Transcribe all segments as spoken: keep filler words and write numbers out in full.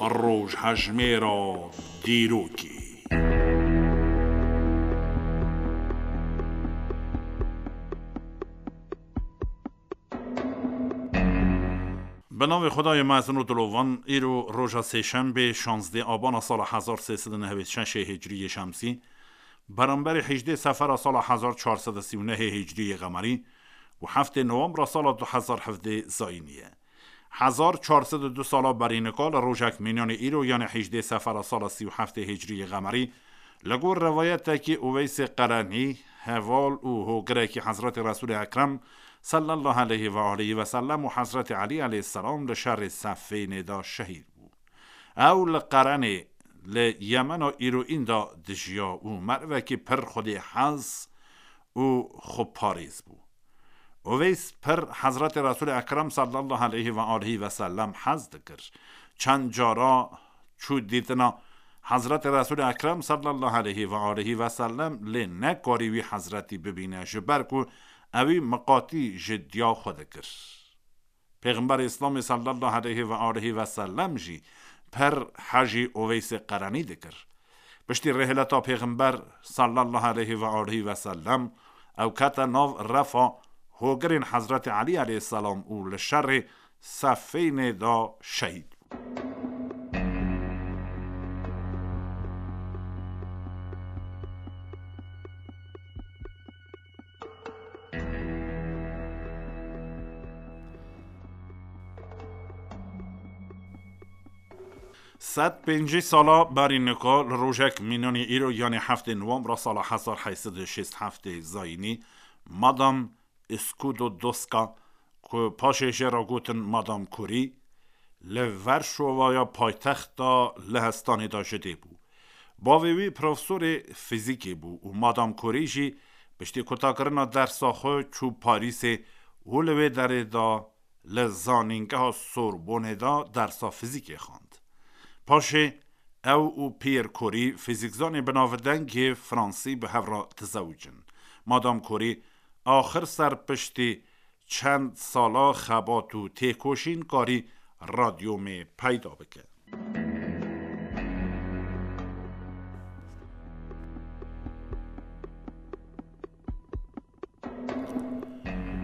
Rojhejmêra dîrokê. Bi navê Xwedayê mezin û dilovan, îro roja sêşembê, şazdeh abana sala hezar sê sed û nehwêd şeşê hicriyê şemsî, beramberî hejdê sefera sala hezar çar sed û sî û nehê hicriyê qemerî û heftê nowembra sala du hezar hevdê zayînî ye. Hezar çar sed û du sala berî nika li rojek mînanê îro, yanê hejdê sefera sala sî û heftê hicriyê qemerî, li gor rewayetekî Uweysê Qerenî, heval û hogirekî Hezretî Resûlê Ekrem sallallahu aleyhi ve aleyhi ve sellem û Hezretî Elî aleyhisselam li şerê Seffînê de şehîd bû. Ew li Qerenê, li Yemena îroîn de dijiya û merivekî pir xwedêhez û xweparêz bû. Uveys pir Hezretê Resûlê Ekrem sallallahu aleyhi ve aleyhi ve sellem hez dikir. Çend cara çû dîtina Hezretê Resûlê Ekrem sallallahu aleyhi ve aleyhi ve sellem, lê nekarî wî Hezretî bibîne, ji ber ku ewî miqatî ji diya xwe dikir. Pêxemberê Îslamê sallallahu aleyhi ve aleyhi ve sellem jî pir hejî Uveysê Qerenî dikir. Piştî rêhileta Pêxember sallallahu aleyhi ve aleyhi ve sellem, ew kete nav refa hogirên Hezretî Elî aleyhisselam û li şerê Seffînê de şehîd bû. Sed pêncî sala berî nika li rojek mînanî îro, yanê heftê nowembra sala hezar heyt sed û şêst heftê zayînî, Madam Skłodowska, ku paşê jê re gotin Madam Curie, li Varşovaya paytexta Lehistanê de ji dê bû. Bavê wî profesorê fîzîkê bû û Madam Curie jî piştî kutakirina dersa xwe çû Parîsê û li wê derê de li zanîngeha Sorbonê de dersa fîzîkê xwend. Paşê ew û Pierre Curie, fîzîkzanê binavdengê fransî, bi hev re dizewicin. Madam Curie axir ser piştî çend sala xebat û têkoşîn karî radyomê peyda bike.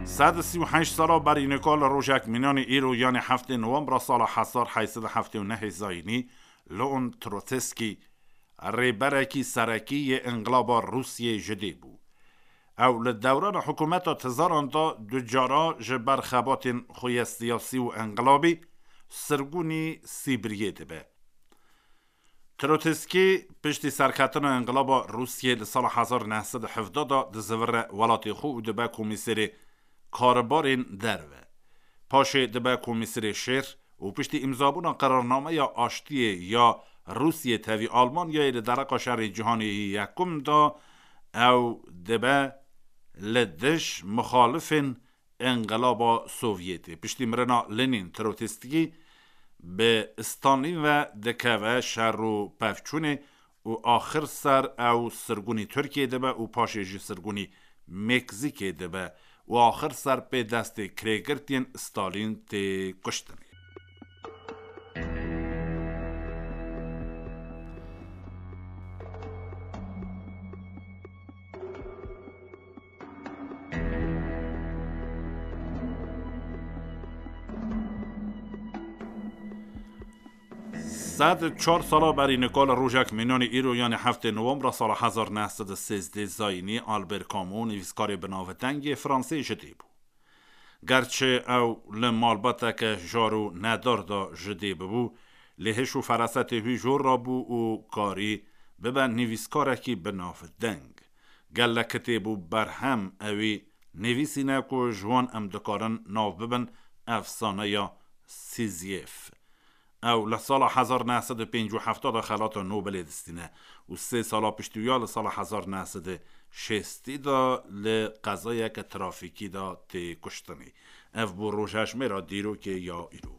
Sed û sî û heşt sala berî nika li rojek mînanê îro, yanê heftê nowembra sala hezar heyt sed û heftê û nehê zayînî, Leon Trotsky, rêberekî serekî yê înqilaba Rûsyê ji dê bû. Ew li dewrana hikûmeta Tzaran de du cara ji ber xebatên xwe yê siyasî û înqilabî sirgûnî Sîbiryê dibe. Trotsky piştî serketina înqilaba Rûsyê li sala hezar neh sed û hevdeh de dizivire welatê xwe û dibe komîserê karibarên derve. Paşê dibe komîserê şêr û piştî îmzabûna qerarnameya aştiyê ya Rûsyê tevî Almanyayê li dereqa şerê cîhanê yê yekum de, ew dibe li dij mixalifên Înqilaba Sovyetê. Piştî mirina Lenin, Trotsky bi Stalin ve dikeve şer û pevçûnê û axir ser ew sirgûnî Tirkiyê dibe û paşê jî sirgûnî Meksîkê dibe û axir ser pê destê kirêgirtiyên Stalin tê kuştinê. Sed çar sala berî nika li rojek mînanê îro, yanê heftê nowembra sala hezar neh sed û sêzdeh zayînî, Albert Camus, nivîskarê binavdengê Fransê ji dê bû. Gerçi ew li malbateke jar û nedar de ji dê bibû, lê hiş û ferasetê wî jor rabû û karî bibe nivîskarekî binavdeng. Gelek kitêb û berhem ewî nivîsîne ku ji wan em dikarin nav bibin efsaneya Sizyef. Ew li sala hezar neh sed û pêncî û heft de xelata Nobelê distîne û sê sala piştî wî ya li sala hezar neh sed û şêstî de li qezayeke trafîkî de tê kuştinê. Ev bû rojhejmêra dîrokê ya îro.